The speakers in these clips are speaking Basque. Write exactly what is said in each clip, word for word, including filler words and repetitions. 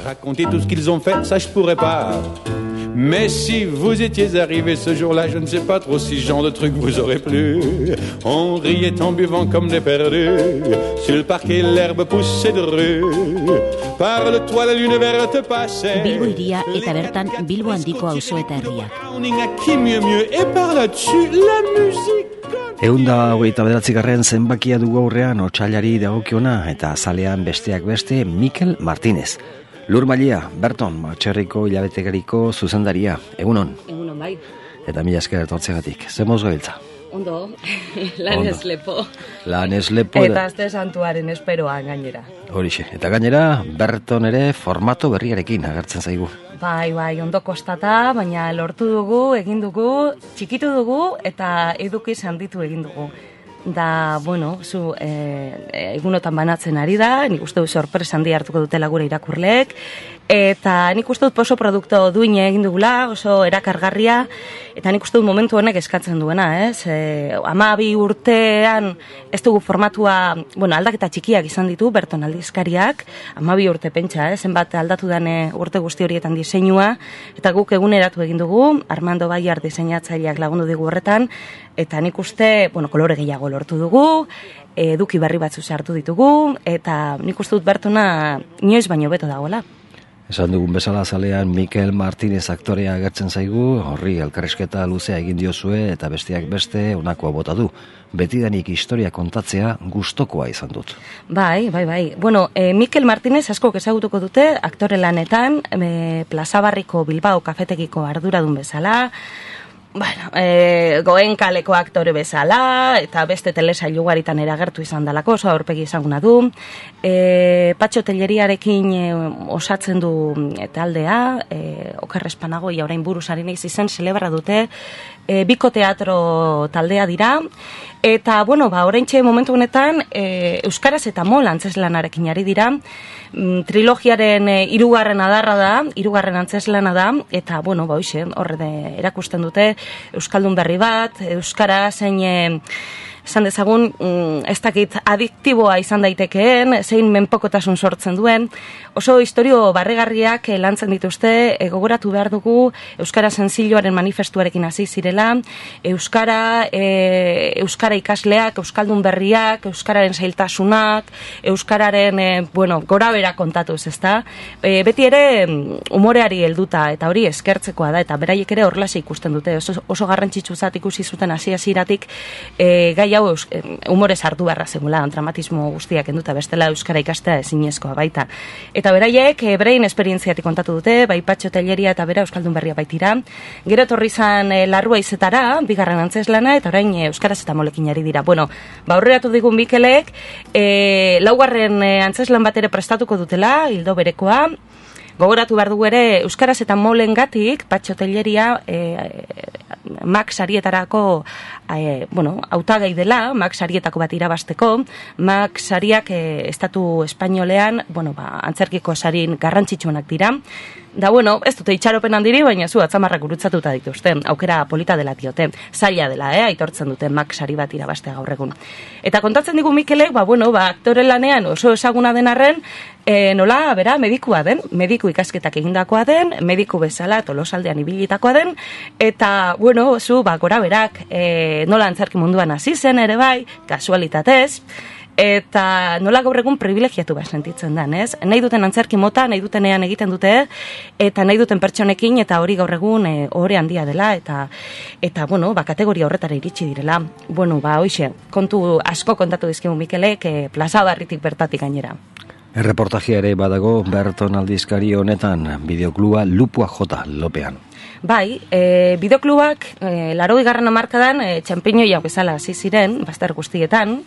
Raconter tout ce qu'ils ont fait, ça je pourrais pas. Mais si vous étiez arrivé ce jour-là, je ne sais pas trop si ce genre de truc vous aurait plu. On riait en buvant comme des perdus. Sur le parquet, l'herbe poussait de rue. Par le toit, la lune verte passait. Bilbo iria eta bertan Bilbo handiko auzo eta herriak. Qui mieux mieux et par là-dessus la musique. Eunda hogeita bederatzigarren zenbakia dugu aurrean otsailari dagokiona eta azalean besteak beste Mikel Martínez. Lur Mailia, Berton, Txerriko hilabetegariko zuzendaria. Egunon. Egunon bai. Eta mila esker etortzegatik. Zemoz gabiltza? Ondo, lan ez lepo. Lan ez lepo. Eta azte santuaren esperoan gainera. Horixe. Eta gainera, Berton ere formato berriarekin agertzen zaigu. Bai, bai, ondo kostata, baina lortu dugu, egin dugu, txikitu dugu eta edukiz handitu egin dugu. Da, bueno, zu e, egunotan banatzen ari da, nik uste dut sorpresa handi hartuko dutela gure irakurleek, eta nik uste dut oso produkto duine egin dugula, oso erakargarria, eta nik uste dut momentu honek eskatzen duena, ez? E, hamabi urtean ez dugu formatua, bueno, aldaketa txikiak izan ditu, Berton aldizkariak, hamabi urte pentsa, ez? Zenbat aldatu dane urte guzti horietan diseinua, eta guk eguneratu egin dugu, Armando Baiar diseinatzaileak lagundu digu horretan, eta nik uste, bueno, kolore gehiago lortu dugu, eduki berri batzu sartu ditugu, eta nik uste dut Bertona inoiz baino beto dagoela. Esan dugun bezala zalean Mikel Martínez aktorea agertzen zaigu, horri elkarrizketa luzea egin diozue eta besteak beste honakoa bota du. Betidanik historia kontatzea gustokoa izan dut. Bai, bai, bai. Bueno, e, Mikel Martínez askok ezagutuko dute aktore lanetan, e, Plaza Barriko Bilbao kafetegiko arduradun bezala, bueno, e, Goen kaleko aktore bezala, eta beste telesail ugaritan eragertu izan dalako, oso aurpegi ezaguna du. E, Patxo Telleriarekin e, osatzen du taldea, e, Oker Espanagoia orain buruzari naiz izen, celebra dute, e, Biko Teatro taldea dira, eta, bueno, ba, oraintxe momentu honetan, e, Euskaraz eta Mol antzeslanarekin ari dira, trilogiaren e, hirugarren adarra da, hirugarren antzeslana da, eta, bueno, ba, hoxe, horre de, erakusten dute, Euskaldun berri bat, Euskara zein, e, esan dezagun, ez dakit adiktiboa izan daitekeen, zein menpokotasun sortzen duen, oso historio barregarriak lantzen dituzte, e, gogoratu behar dugu, Euskara Senzilloaren manifestuarekin hasi zirela, Euskara, e, Euskara ikasleak, Euskaldun berriak, Euskararen zailtasunak, Euskararen, e, bueno, gora bera kontatuz, ezta? E, beti ere, umoreari helduta, eta hori eskertzekoa da, eta beraiek ere horrelase ikusten dute, oso, oso garrantzitsuzat ikusi zuten hasi-hasieratik, e, gai hau humorez hartu beharra zegula, dramatismo guztiak enduta bestela euskara ikastea ezinezkoa baita. Eta beraiek, e, berain esperientziatik kontatu dute, bai Patxo Telleria eta bera Euskaldun berria baitira. Gero etorri izan e, Larrua izetara, bigarren antzeslana, eta orain e, Euskaraz eta Molekin ari dira. Bueno, ba aurreratu digun Mikelek, e, laugarren e, antzeslan bat ere prestatuko dutela, hildo berekoa. Gogoratu behar dugu ere, Euskaraz eta Molengatik, Patxo Telleria, e, Max Sarietarako, e, bueno, hautagai dela, Max Sarietako bat irabasteko, Max Sariak e, estatu espainolean, bueno, ba, antzerkiko sarin garrantzitsuenak dira. Da, bueno, ez dute itxaropen handiri, baina zu atzamarrak gurutzatuta dituzte, aukera polita dela diote, zaila dela, eh, aitortzen dute Max Sari bat irabastea gaur egun. Eta kontatzen digu Mikelek, ba, bueno, ba, aktore lanean oso ezaguna den arren, e, nola, bera, medikua den, mediku ikasketak egindakoa den, mediku bezala Tolosaldean ibilitakoa den, eta, bueno, zu, ba, gora berak, e, nola antzerki munduan hasi zen ere bai, kasualitatez, eta nola gaur egun privilegiatu bat sentitzen den, ez? Nahi duten antzerki mota, nahi dutenean egiten dute, eta nahi duten pertsonekin, eta hori gaur egun e, ohore handia dela, eta, eta bueno, ba, kategoria horretara iritsi direla. Bueno, ba, hoxe, kontu asko kontatu dizkigu Mikelek, e, Plaza Barritik bertatik gainera. Erreportajia ere badago Berton aldizkari honetan, bideokluba Lupua Jota Lopean. Bai, e, bideoklubak, e, laro igarren amarkadan, e, txampiñoia bezala hasi ziren, bazter guztietan,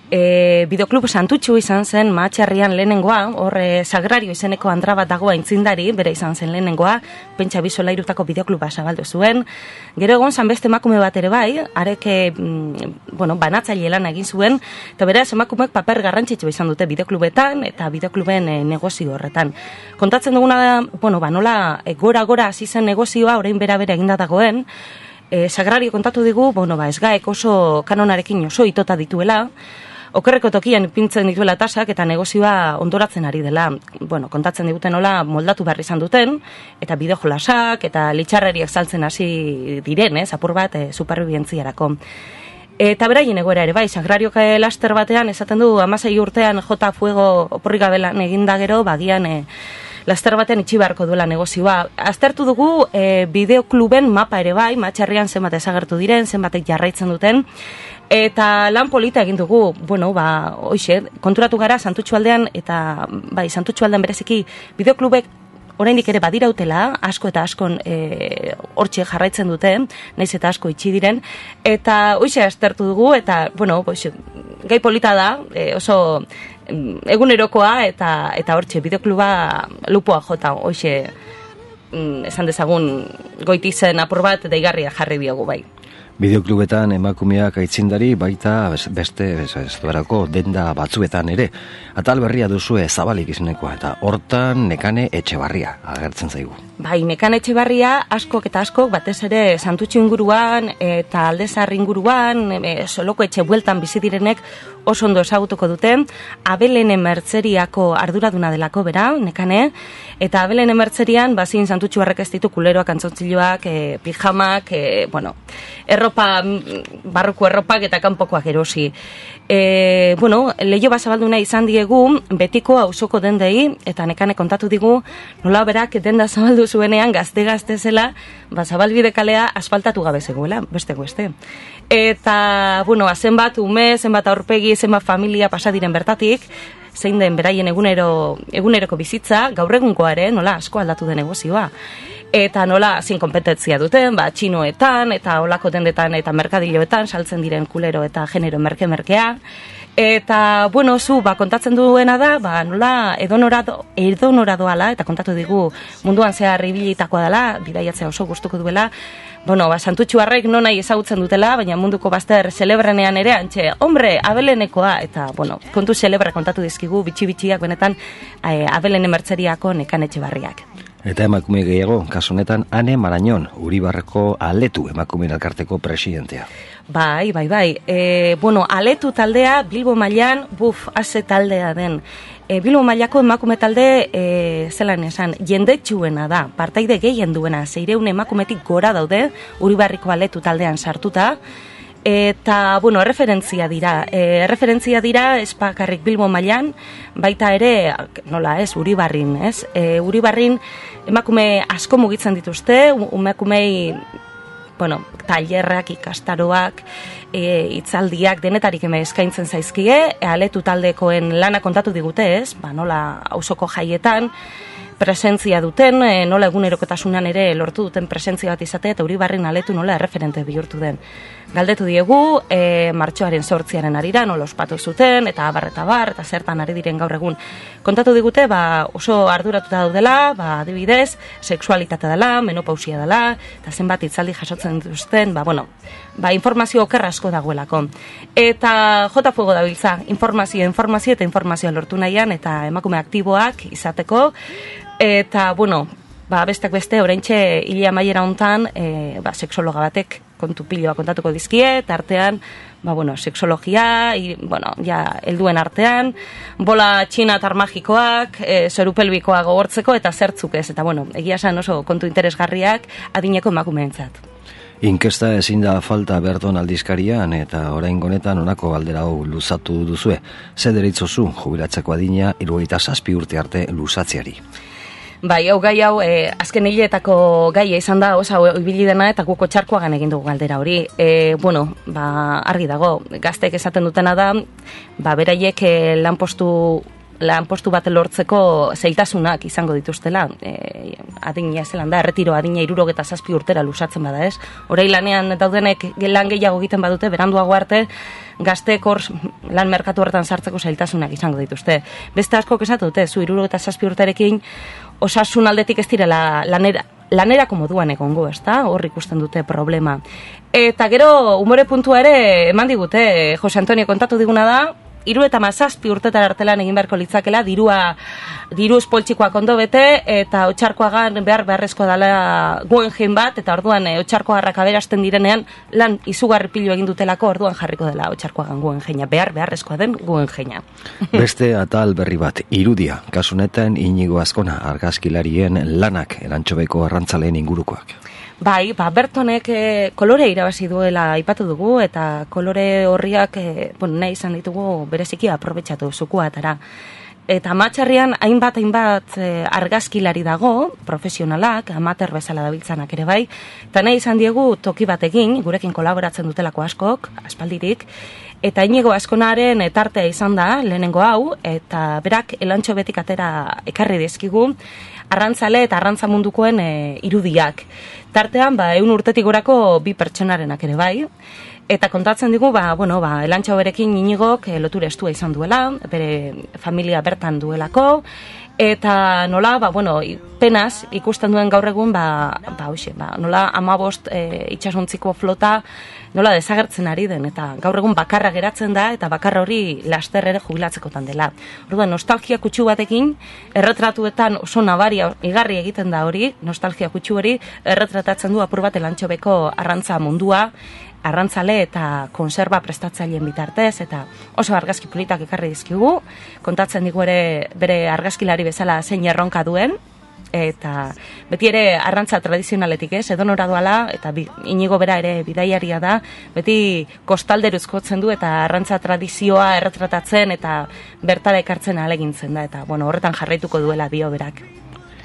E, bideoklub santutxu izan zen Mahatxarrian lehenengoa, horre Sagrario izeneko andra bat dagoa intzindari, bere izan zen lehenengoa, pentsa bizolairutako bideokluba zabaldu zuen. Gero egon zan beste emakume bat ere bai, areke, mm, bueno, banatzaile lan egin zuen, eta beraz emakumeek paper garrantzitsu izan dute bideoklubetan eta bideokluben e, negozio horretan. Kontatzen duguna da, bueno, ba, nola e, gora-gora hasi zen negozioa, orain bera-bera eginda dagoen, e, Sagrario kontatu digu, bueno, ba, ez gaek oso kanonarekin oso itota dituela, okerreko tokian ipintzen dituela tasak eta negozioa ondoratzen ari dela. Bueno, kontatzen diguten nola moldatu behar izan duten, eta bideo-jolasak eta litxarreriak saltzen hasi diren, ez, apur bat e, superbibentziarako. Eta beraien egoera ere, bai, Sagrariok laster batean esaten du hamasei urtean jota fuego oporrik gabelan eginda gero, bagian e, laster batean itxi beharko duela negozioa. Aztertu dugu e, bideokluben mapa ere bai, Matxarrian zenbat ezagertu diren, zenbatek jarraitzen duten, eta lan polita egin dugu, bueno, ba, hoxe, konturatu gara Santutxualdean, eta bai, Santutxualdean bereziki bideoklubek oraindik ere badirautela, asko eta askon e, hortxe jarraitzen dute, naiz eta asko itxi diren, eta hoxe aztertu dugu, eta, bueno, hoxe, gai polita da, e, oso egunerokoa, eta eta hortxe, bideokluba lupoa jota, hoxe, esan dezagun goitizen apur bat, deigarria jarri diogu bai. Bideoklubetan emakumeak aitzindari baita beste bestuarako denda batzuetan ere. Atal berria duzue Zabalik izenekoa eta hortan Nekane Etxebarria agertzen zaigu. Bai, Nekane Etxebarria askok eta askok batez ere Santutxu inguruan eta Aldezar inguruan, e, Soloko etxe bueltan bizi direnek oso ondo ezagutuko dute. Abelene Mertzeriako arduraduna delako bera, Nekane, eta Abelene Mertzerian bazin Santutxuarrek ez ditu kuleroak, antzontziloak, e, pijamak, e, bueno, erropa, barruko erropak eta kanpokoak erosi. E, bueno, lehio bazabalduna izan diegu betiko auzoko dendei, eta Nekane kontatu digu, nola berak denda zabaldu zuenean gazte-gazte zela, bazabalbide kalea asfaltatu gabe zegoela, beste beste. Eta, bueno, zenbat ume, zenbat aurpegi, zenbat familia pasadiren bertatik, zein den beraien egunero, eguneroko bizitza, gaur egunkoare, nola asko aldatu den negozioa. Eta nola zin kompetentzia duten, ba, txinoetan, eta olako dendetan, eta merkadiloetan, saltzen diren kulero eta genero merke-merkea. Eta, bueno, zu, ba, kontatzen duena da, ba, nola edonora, edonora doala, eta kontatu digu munduan zehar ibilitakoa dela, bidaiatzea oso gustuko duela, bueno, ba, Santutxuarrek non nahi ezagutzen dutela, baina munduko bazter celebrenean ere, antxe, hombre, Abelenekoa, eta, bueno, kontu celebra kontatu dizkigu, bitxi-bitxiak benetan, e, Abelene Mertzeriako Nekane Etxebarriak. Eta emakume gehiago, kasu honetan, Ane Marañon, Uribarreko Aletu emakume elkarteko presidentea. Bai, bai, bai. E, bueno, Aletu taldea, Bilbo mailan, buf, haze taldea den. E, Bilbo mailako emakume talde, e, zelan esan, jendetsuena da, partaide gehien duena, zeireun emakumetik gora daude, Uribarriko Aletu taldean sartuta, eta, bueno, erreferentzia dira. E, erreferentzia dira, espakarrik Bilbo mailan, baita ere, nola ez, Uribarrin, ez? E, Uribarrin emakume asko mugitzen dituzte, emakumei, bueno, tailerrak, ikastaroak, e, itzaldiak, denetarik eme eskaintzen zaizkie, e, Aletu taldekoen lana kontatu digute, ez? Ba, nola auzoko jaietan, presentzia duten, e, nola egunerokotasunan ere lortu duten presentzia bat izatea, eta Uribarrin Aletu nola erreferente bihurtu den. Galdetu diegu, e, martxoaren sortziaren arira, nola ospatu zuten, eta abar eta bar, eta zertan ari diren gaur egun. Kontatu digute, ba, oso arduratuta daudela, ba, adibidez, sexualitatea dela, menopausia dela, eta zenbat itzaldi jasotzen dituzten, ba, bueno, ba, informazio okerra asko dagoelako. Eta jota fuego dabiltza, informazio, informazio eta informazioa lortu nahian, eta emakume aktiboak izateko, eta, bueno, ba, bestek beste, oraintxe hilia maiera hontan, e, ba, sexologa batek kontu piloa kontatuko dizkie, eta artean, ba, bueno, sexologia, i, bueno, ja, helduen artean, bola txinatar magikoak, e, zorupelbikoa gogortzeko, eta zertzuk ez, eta, bueno, egia esan oso kontu interesgarriak adineko emakumeentzat. Inkesta ezin da falta Berton aldizkarian, eta orain honetan honako galdera hau luzatu duzue. Ze deritzozu jubilatzeko adina hirurogeita zazpi urte arte luzatzeari? Bai, hau gai hau, e, azken hileetako gaia izan da, osa, ibili dena, eta guko txarkoagan egin dugu galdera hori. E, bueno, ba, argi dago, gaztek esaten dutena da, ba, beraiek e, lanpostu, lanpostu bat lortzeko zailtasunak izango dituztela. E, adina zelan da, erretiro adina hirurogeta zazpi urtera lusatzen bada, ez? Horei lanean daudenek lan gehiago egiten badute, beranduago arte, gazteek hor lan merkatu horretan sartzeko zailtasunak izango dituzte. Beste askok esatu dute, zu hirurogeta zazpi urterekin, osasun aldetik ez direla lanera, lanerako moduan egongo, ezta? Hor ikusten dute problema. Eta gero, umore puntua ere eman digute, Jose Antonio kontatu diguna da, hiru eta mazazpi urtetar artelan egin beharko litzakela, dirua, diruz poltsikoak ondo bete, eta Otxarkoagan behar beharrezko dela Guggenheim bat, eta orduan e, Otxarkoagarrak aberasten direnean, lan izugarri pilu egin dutelako, orduan jarriko dela Otxarkoagan Guggenheima, behar beharrezkoa den Guggenheima. Beste atal berri bat, irudia, kasunetan Inigo Azkona, argazkilarien lanak erantxobeko arrantzaleen ingurukoak. Bai, ba, Bertonek e, kolore irabazi duela aipatu dugu, eta kolore horriak e, bueno, nahi izan ditugu bereziki aprobetxatu zukuatara. Eta Amatxarrian hainbat hainbat e, argazkilari dago, profesionalak, amater bezala dabiltzanak ere bai, eta nahi izan diegu toki batekin, gurekin kolaboratzen dutelako askok, aspaldirik, eta Inigo Azkonaren tartea izan da, lehenengo hau, eta berak elantxo betik atera ekarri dizkigu, arrantzale eta arrantza mundukoen e, irudiak. Tartean, ba, eun urtetik gorako bi pertsonarenak ere bai, eta kontatzen digu, ba, bueno, ba, elantxo berekin Inigok e, lotura estua izan duela, bere familia bertan duelako, eta nola, ba, bueno, penaz ikusten duen gaur egun, ba, ba, hoxe, ba, nola amabost e, itxasontziko flota, nola desagertzen ari den, eta gaur egun bakarra geratzen da, eta bakarra hori laster ere jubilatzekotan dela. Orduan, nostalgia kutsu batekin, erretratuetan oso nabaria igarri egiten da hori, nostalgia kutsu hori, erretratatzen du apur bat elantxobeko arrantza mundua, arrantzale eta konserba prestatzaileen bitartez, eta oso argazki politak ekarri dizkigu, kontatzen digu ere bere argazkilari bezala zein erronka duen, eta beti ere arrantza tradizionaletik ez, edonora doala, eta bi, Inigo bera ere bidaiaria da, beti kostalderuzkotzen du, eta arrantza tradizioa erretratatzen, eta bertara ekartzen ahalegintzen da, eta bueno, horretan jarraituko duela dio berak.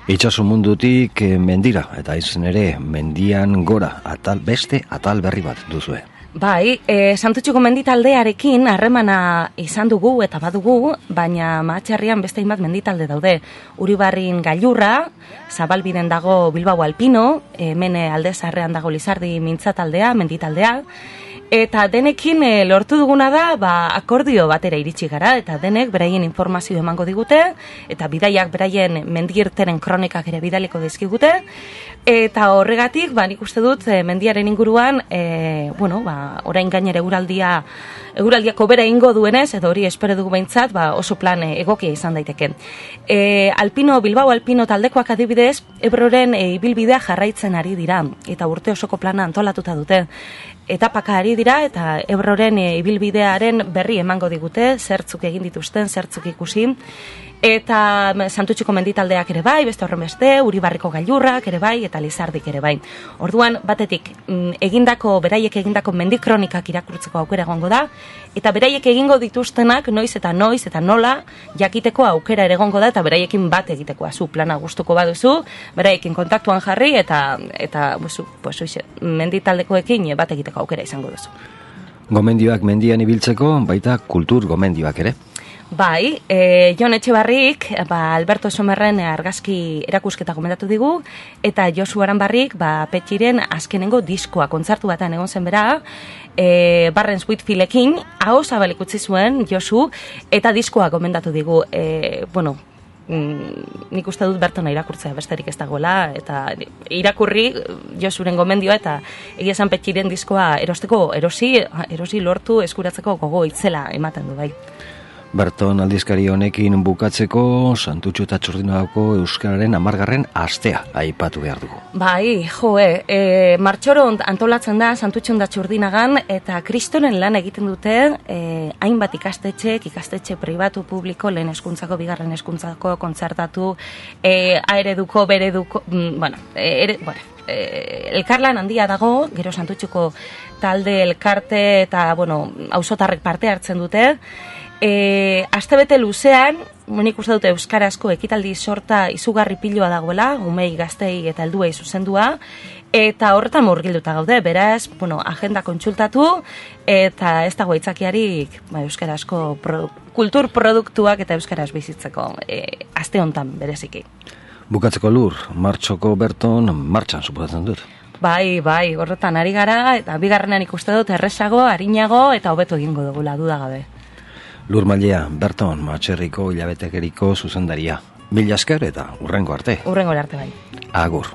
Itxaso mundutik mendira, eta izan ere mendian gora, atal beste atal berri bat duzue. Bai, e, Santutxuko menditaldearekin harremana izan dugu eta badugu, baina Mahatxarrian beste hainbat menditalde daude. Uribarrin Gailurra, Zabalbiden dago Bilbao Alpino, hemen Alde Zaharrean dago Lizardi mintzataldea, menditaldea, eta denekin e, lortu duguna da, ba, akordio batera iritsi gara, eta denek beraien informazio emango digute, eta bidaiak beraien mendiirteren kronikak ere bidaliko dizkigute, eta horregatik, ba, nik uste dut, e, mendiaren inguruan, e, bueno, ba, orain gainera eguraldia, eguraldiako bera ingo duenez, edo hori espero dugu behintzat, ba, oso plan e, egokia izan daiteke. E, Alpino, Bilbao Alpino taldekoak adibidez, Ebroren e, ibilbidea jarraitzen ari dira, eta urte osoko plana antolatuta dute. Etapaka ari dira, eta Ebroren e, ibilbidearen berri emango digute, zertzuk egin dituzten, zertzuk ikusi, eta Santutxuko menditaldeak ere bai, beste horren beste, Uribarriko Gailurrak ere bai, eta Lizardik ere bai. Orduan, batetik, egindako, beraiek egindako mendikronikak irakurtzeko aukera egongo da, eta beraiek egingo dituztenak noiz eta noiz eta nola jakiteko aukera ere egongo da, eta beraiekin bat egiteko zu plana gustuko baduzu, beraiekin kontaktuan jarri, eta, eta buzu, pues, oixe, menditaldekoekin bat egiteko aukera izango duzu. Gomendioak mendian ibiltzeko, baita kultur gomendioak ere. Bai, e, Jon Etxebarrik, ba, Alberto Somerren argazki erakusketa gomendatu digu, eta Josu Aranbarrik, ba, Petxiren azkenengo diskoa, kontzertu batean egon zen bera, e, Barrens Whitfieldekin, hau zabalik utzi zuen Josu, eta diskoa gomendatu digu, e, bueno, mm, nik uste dut Bertona irakurtzea besterik ez dagoela, eta irakurri Josuren gomendioa, eta egia esan Petxiren diskoa erosteko, erosi, erosi lortu eskuratzeko gogo itzela ematen du bai. Berton aldizkari honekin bukatzeko Santutxu eta Txurdinagako euskararen hamargarren astea aipatu behar dugu. Bai, joe, e, martxoron antolatzen da Santutxun da Txurdinagan, eta kristoren lan egiten dute e, hainbat ikastetxek, ikastetxe pribatu publiko, lehen eskuntzako, bigarren eskuntzako, kontzertatu, e, aereduko, bereduko, mm, bueno, ere, bueno, e, elkarlan handia dago, gero Santutxuko talde elkarte eta, bueno, auzotarrek parte hartzen dute. E, astebete luzean, nik uste dute euskarazko ekitaldi sorta izugarri piloa dagoela, umei, gaztei eta helduei zuzendua, eta horretan murgilduta gaude, beraz, bueno, agenda kontsultatu, eta ez dago aitzakiarik ba, euskarazko pro, kultur produktuak eta euskaraz bizitzeko, e, aste hontan bereziki. Bukatzeko Lur, martxoko Berton martxan suposatzen dut. Bai, bai, horretan ari gara, eta bigarrenan ikuste dut erresago, arinago, eta hobeto egingo dugula, dudagabe. Lur Mailea, Berton, Matxerriko hilabetekeriko zuzendaria. Mila esker eta urrengo arte. Urrengo arte bai. Agur.